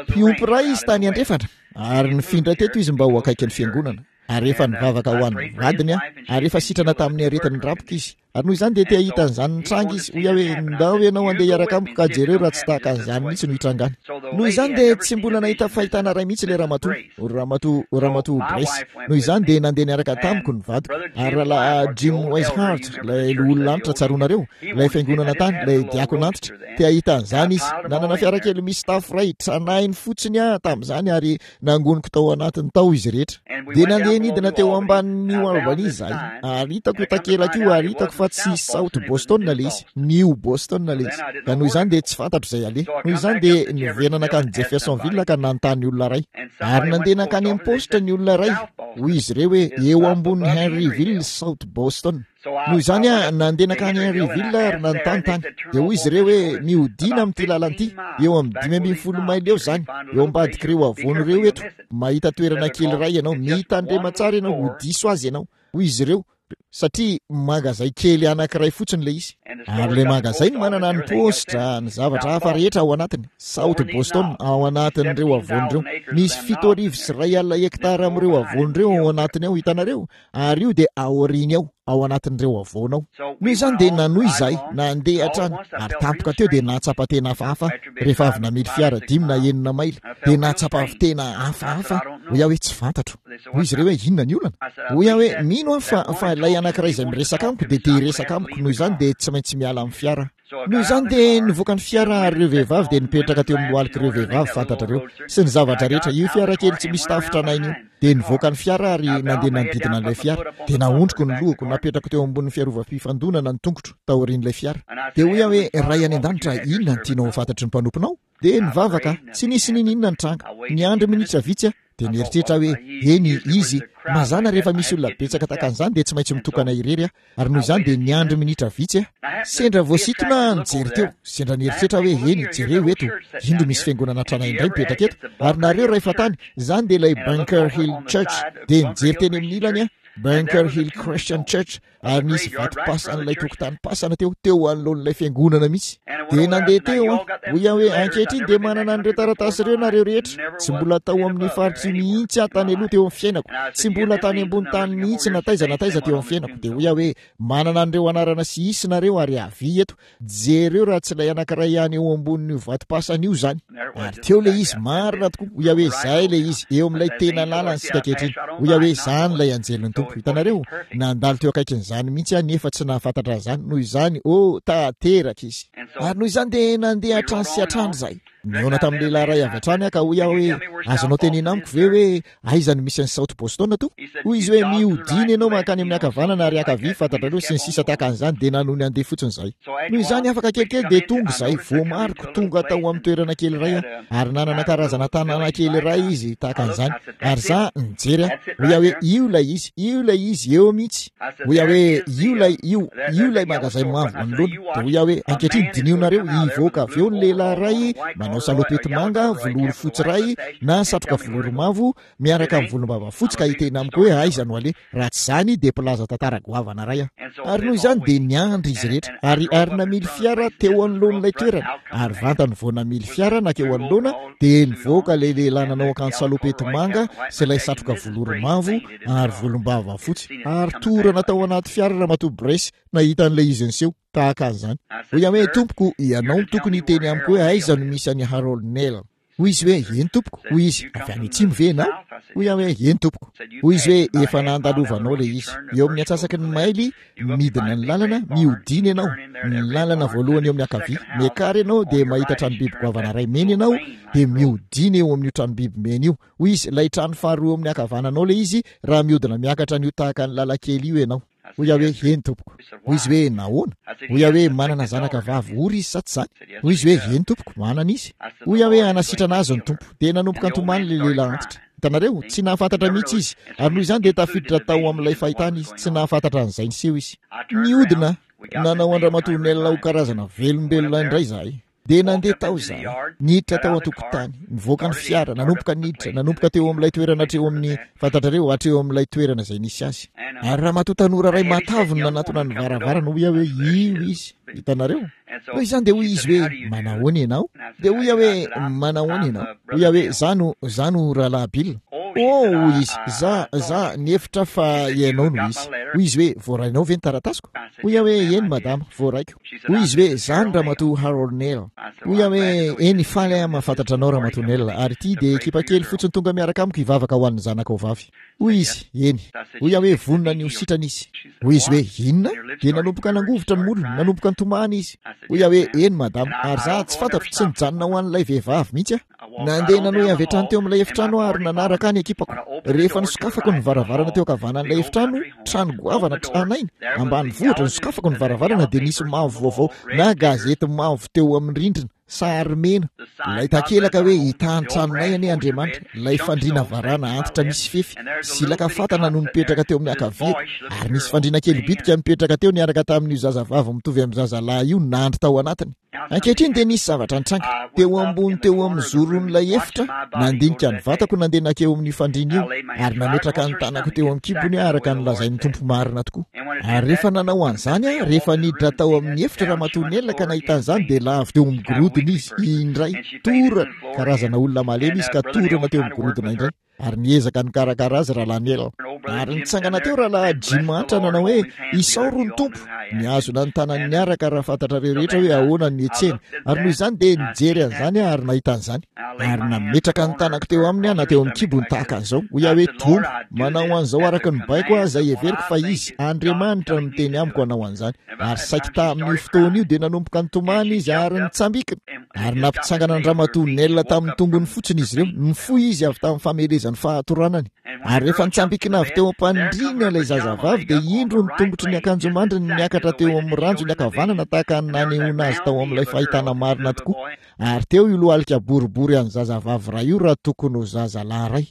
[SPEAKER 1] Mpiompy iray izy tany andrefana, ary nifindra teto izy mba ho akaikin'ny fiangonana. Ary efa nivavaka ho an'ny vadiny aho, ary efa sitrana tamin'ny aretin'ny rapoka izy. Ary noho izany dia te hahita an'izany nitranga izy. Hoy aho hoe, Ndao ianao handeha hiaraka amiko ka jereo raha tsy tahaka an'izany mihitsy no hitrangany. Noho izany dia tsy mbola nahita fahitana iray mihitsy ilay ramatoa, ramatoa, ramatoa Brace. Noho izany dia nandeha niaraka tamiko ny vadiko. Ary Rahalahy Jim Wishart, ilay loholona antitra, tsaroanareo, ilay fiangonana tany, ilay diakona antitra, te hahita an'izany izy. Nanana fiara kely misy tafo iray, tranainy fotsiny aho tamin'izany ary Nangoniko tao anatiny tao izy rehetra. Dia nandeha nidina teo ambanin'ny New Albany izahay, ary hitako io takelaka io, ary hitako fa tsy South Boston ilay izy, New Boston ilay izy. Ka noho izany dia tsy fantatro izay aleha. Noho izany dia niverina nankany Jeffersonville ka nanontany olona iray. Ary nandeha nankany amin'ny paositra ny olona iray. Hoy izy ireo hoe, Eo ambonin'i Henryville, South Boston. Noho izany aho nandeha nankany Henryville ary nanontany tany. Dia hoy izy ireo hoe, Mihodina amin'ity lalana ity, eo amin'ny 15 maily eo izany, eo ambadik'ireo havoana ireo eto. Mahita toerana kely iray ianao. Mitandrema tsara ianao, ho diso azy ianao. Hoy izy ireo, satria mangazay kely anankiray fotsiny ilay izy. Ary ilay mangazay no manana ny paositra, ny zavatra hafa rehetra ao anatiny. South Boston, ao anatin'ireo havoana ireo. Misy 1071 hektara amin'ireo havoana ireo ao anatiny ao, hitanareo? Ary io dia aoriany ao, ao anatin'ireo havoana ao. Noho izany dia nanohy izahay, nandeha hatrany, ary tampoka teo dia nahatsapa tena hafahafa rehefa avy namily fiara dimy na enina maily. Dia nahatsapa tena hafahafa aho. Hoy aho hoe, Tsy fantatro. Hoy izy ireo hoe, Inona ny olana? Hoy aho hoe, Mino aho fa, fa ilay anankiray izay miresaka amiko dia te-hiresaka amiko, noho izany dia tsy maintsy miala amin'ny fiara aho. Noho izany dia nivoaka ny fiara ary ireo vehivavy dia nipetraka teo amin'ny lohalik'ireo vehivavy, fantatrareo, sy ny zavatra rehetra, io fiara kely tsy misy tafo tranainy io. Dia nivoaka ny fiara aho ary nandeha nanodidina an'ilay fiara. Dia naondriko ny lohako, napetrako teo ambonin'ny fiarovam-pifandonana ny tongotro, taorian'ilay fiara. Dia hoy aho hoe, Ray any An-danitra, inona no tianao ho fantatry ny mpanomponao? Dia nivavaka aho. Tsy nisy n'inon'inona nitranga. Niandry minitra vitsy aho. Dia nieritreritra aho hoe, Eny, izy, mazàna rehefa misy olona betsaka tahaka an'izany dia tsy maintsy mitokana irery aho. Ary noho izany dia niandry minitra vitsy aho. Sendra voasintona aho nijery teo. Sendra nieritreritra aho hoe, Eny, jereo eto. Indro misy fiangonana tranainy indray mipetraka eto. Ary nareo ray fantany, izany dia ilay Bunker Hill Church. Dia nijery teny amin'ny ilany aho, Bunker Hill Christian Church. Ary nisy vatom-pasan'ilay tokotanim-pasana teo, teo anoloan'ilay fiangonana mihitsy. Dia nandeha teo aho. Hoy aho hoe, Ankehitriny dia manana an'ireo taratasy ireo nareo rehetra. Tsy mbola tao amin'io faritra io mihitsy aho tany aloha teo amin'ny fiainako. Tsy mbola tany ambony tany mihitsy na taiza na taiza teo amin'ny fiainako. Dia hoy aho hoe, Manana an'ireo anarana sy isa nareo ary avia eto. Jereo raha tsy ilay anankiray ihany eo ambonin'io vatom-pasana io izany. Ary teo ilay izy, marina tokoa. Hoy aho hoe, Izay ilay izy, eo amin'ilay tena lalana isika ankehitriny. Hoy aho hoe, Izany ilay Anjelin'ny Tompo. Hitanareo? Nandalo teo akaikin'izany mihitsy aho nefa tsy nahafantatra an'izany. Noho izany, oh, tanteraka izy. Ary noho izany dia nandeha hatrany sy hatrany izahay. Nihaona tamin'ny lehilahy iray avy hatrany aho ka hoy aho hoe, Azonao tenena amiko ve hoe Aiza no misy an'i South Boston tompoko? Hoy izy hoe, Mihodina ianao mankany amin'ny ankavanana ary ankavia, fantatrareo, sy ny sisa tahaka an'izany, dia nanohy nandeha fotsiny izahay. Noho izany, afaka kelikely dia tonga izahay, voamariko, tonga tao amin'ny toerana kely iray aho, ary nanana karazana tanàna kely iray izy, tahaka an'izany. Ary izaho, nijery aho. Hoy aho hoe, Io ilay izy, io ilay izy, eo mihitsy. Hoy aho hoe, Io ilay, io, io ilay magazay mavo anoloana. Dia hoy aho hoe, Ankehitriny, dinihonareo, hivoaka avy eo ny lehilahy iray, manao salopety manga, volory fotsy iray, na satroka volory mavo, miaraka amin'ny volombava fotsy, ka hiteny amiko hoe aiza no aleha. Raha tsy izany, dia mpilaza tantara goavana iray aho. Ary noho izany dia niandry izy rehetra, ary, ary namily fiara teo anoloan'ilay toerana. Ary vantany vao namily fiara nankeo anoloana, dia nivoaka ilay lehilahy nanao akanjo salopety manga sy ilay satroka volory mavo, ary volombava fotsy, ary torana tao anaty fiara Ramatoa Brace nahita an'ilay izy niseho, tahaka an'izany. Hoy aho hoe, Tompoko, ianao no tokony hiteny amiko hoe aiza no misy an'i Harold Neal. Hoy izy hoe, Eny, tompoko. Hoy izy, Avy any atsimo ve ianao? Hoy aho hoe, Eny, tompoko. Hoy izy hoe, Efa nandalovanao ilay izy. Eo amin'ny antsasaky ny maily, midina ny lalana, mihodina ianao. Ny lalana voalohany eo amin'ny ankavia. Miakara ianao, dia mahita tranom-biby goavana iray mena ianao, dia mihodina eo amin'io tranom-biby mena io. Hoy izy, Ilay trano faharoa eo amin'ny ankavananao ilay izy, raha mihodina miakatra an'io tahaka ny lalan-kely io ianao. Hoy aho hoe, Eny, tompoko. Hoy izy hoe, Nahoana? Hoy aho hoe, Manana zanaka vavy ory izy, sa tsy izany? Hoy izy hoe, Eny, tompoko, manana izy. Hoy aho hoe, Hanasitrana azy ny Tompo. Dia nanomboka nitomany ilay lehilahy antitra. Hitanareo? Tsy nahafantatra mihitsy izy. Ary noho izany dia tafiditra tao amin'ilay fahitana izy. Tsy nahafantatra an'izay niseho izy. Nihodina nanao an-dRamatoa Nell ho karazana velombelona indray izahay. Dia nandeha tao izahay, niditra tao an-tokotany, nivoaka ny fiara, nanomboka niditra, nanomboka teo amin'ilay toerana hatreo amin'ny, fantatrareo, hatreo amin'ilay toerana izay nisy azy. Ary ramatoa tanora iray matavy no nanatona ny varavarana, hoy aho hoe, Io izy. Hitanareo? Noho izany dia hoy izy hoe, Manahoana ianao? Dia hoy aho hoe, Manahoana ianao? Hoy aho hoe, Za no, za no Rahalahy Bill. Oh, hoy izy, za, za, nihevitra aho fa ianao no izy. Hoy izy hoe, Voarainao ve ny taratasiko? Hoy aho hoe, Eny, madama, voaraiko. Hoy izy hoe, Za no Ramatoa Harold Neal. Hoy aho hoe, Eny, faly aho mahafantatra anao, Ramatoa Neal, ary ity dia ekipa kely fotsiny tonga miaraka amiko hivavaka ho an'ny zanakao vavy. Hoy izy, Eny. Hoy aho hoe, Vonona ny ho sitrana izy. Hoy izy hoe, Inona? Dia nanomboka nangovitra ny molony, nanomboka nitomany izy. Hoy aho hoe, Eny, madama, ary za, tsy fantatro, tsy nijanona ho an'ilay vehivavy mihitsy aho. Nandeha nanohy avy hatrany teo amin'ilay efitrano aho ary nanaraka ahy ny ekipako. Rehefa nosokafako ny varavarana teo ankavanan'ilay efitrano, trano goavana tranainy, ambanivohitra, nosokafako ny varavarana dia nisy mavo vaovao na gazety mavo teo amin'ny rindrina, sary mena. Ilay takelaka hoe hitaha ny tranonay anie Andriamanitra, ilay fandriana varana antitra misy fefy, silaka fatana no nipetraka teo amin'ny ankaviako, ary nisy fandriana kely bitika nipetraka teo niaraka tamin'io zazavavy mitovy amin'ny zazalahy io nandry tao anatiny. Ankehitriny dia nisy zavatra nitranga. Teo ambony teo amin'ny zoron'ilay efitra, nandinika ny vatako nandeha nankeo amin'io fandriana io, ary nametraka ny tanako teo amin'ny kibony aho araka ny lazain'ny Tompo marina tokoa. Ary rehefa nanao an'izany aho, rehefa niditra tao amin'ny efitra Ramatoa Nell ka nahita an'izany dia lavo teo amin'ny gorodona izy, indray. Torana! Karazana olona malemy izy ka torana teo amin'ny gorodona indray. Ary niezaka nikarakara azy Rahalahy Neil. Ary nitsangana teo Rahalahy Jim Antra nanao hoe, Isaory ny Tompo! Nihazona ny tanany niaraka raha fantatrareo rehetra hoe ahoana ny nihetsehiny. Ary noho izany dia nijery an'izany aho ary nahita an'izany. Ary nametraka ny tanako teo aminy aho na teo amin'ny kibony tahaka an'izao. Hoy aho hoe, Tompo, manao an'izao araka ny baiko aho izay heveriko fa Izy, Andriamanitra, no miteny amiko hanao an'izany. Ary saiky tamin'io fotoana io dia nanomboka nitomany izy ary nitsambikina. Ary nampitsangana an-dRamatoa Nell tamin'ny tongony fotsiny izy ireo. Nifoha izy avy tamin'ny famelezan'ny fahatoranany. Ary rehefa nitsambikina avy teo am-pandriana ilay zazavavy, dia indro ny tongotry ny akanjomandriny niakatra teo amin'ny ranjony ankavanana tahaka ny nanehoana azy tao amin'ilay fahitana marina tokoa. Ary teo io lohalika boribory an'ny zazavavy iray io raha tokony ho zazalahy iray.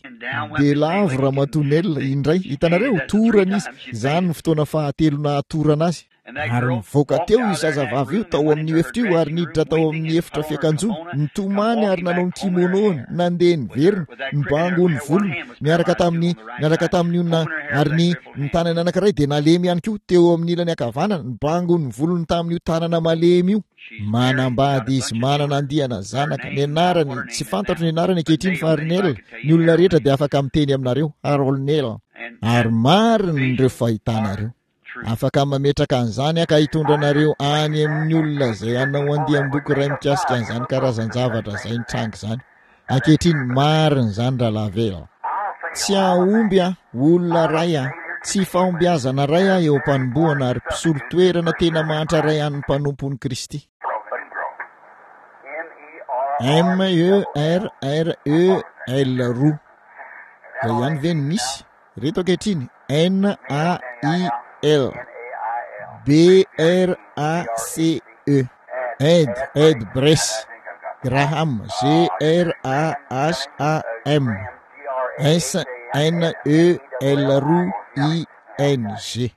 [SPEAKER 1] Dia lavo Ramatoa Nell indray. Hitanareo? Torana izy. Izany no fotoana fahatelo nahatorana azy. Ary nivoaka teo io zazavavy io tao amin'io efitra io ary niditra tao amin'ny efitra fiakanjoana, nitomany ary nanao ny kimono-ny, nandeha niverina, nibango ny volony, niaraka tamin'ny, niaraka tamin'io na, ary ny, ny tanany anankiray dia nalemy ihany koa, teo amin'ny ilany ankavanana, nibango ny volony tamin'io tanana malemy io. Manambady izy, manana andiana zanaka, ny anarany, tsy fantatro ny anarany ankehitriny fa ry Nell, ny olona rehetra dia afaka miteny aminareo, Harold Nell. Ary marina ireo fahitana ireo. Afaka mametraka an'izany aho ka hitondra anareo any amin'ny olona izay hanao andiam-boky iray mikasika an'izany karazan-javatra izay nitranga izany. Ankehitriny, marina izany, Rahalahy Vayle. Tsy hahomby aho, olona iray aho. Tsy fahombiazana iray aho eo am-panombohana ary mpisolo toerana tena mahantra iray an'ny mpanompon'i Kristy. M-E-R-R-E-L roa. Izay ihany ve no misy? Reto ankehitriny, N A I L B R A C E Ed Ed Brace Graham G R A H A M S N E L roa I N G.